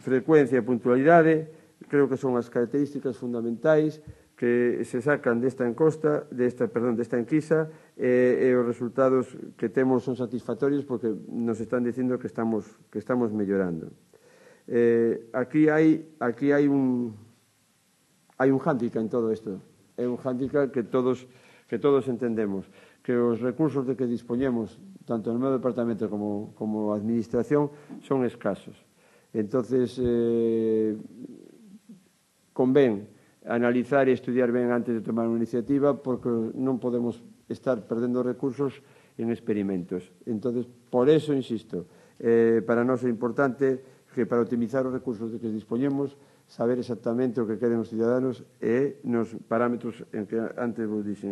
Frecuencia e puntualidade, creo que son as características fundamentais que se sacan desta enquisa e os resultados que temos son satisfactorios porque nos están dicindo que estamos mellorando. Aquí hai un hándicap en todo isto. É un hándicap que todos entendemos, que os recursos de que dispoñemos, tanto no meu departamento como a administración, son escasos. Entonces, convén analizar e estudiar ben antes de tomar unha iniciativa porque non podemos estar perdendo recursos en experimentos. Entonces, por eso, insisto, para nós é importante que para optimizar os recursos de que dispoñemos, saber exactamente o que queren os ciudadanos e nos parámetros en que antes vos dixen.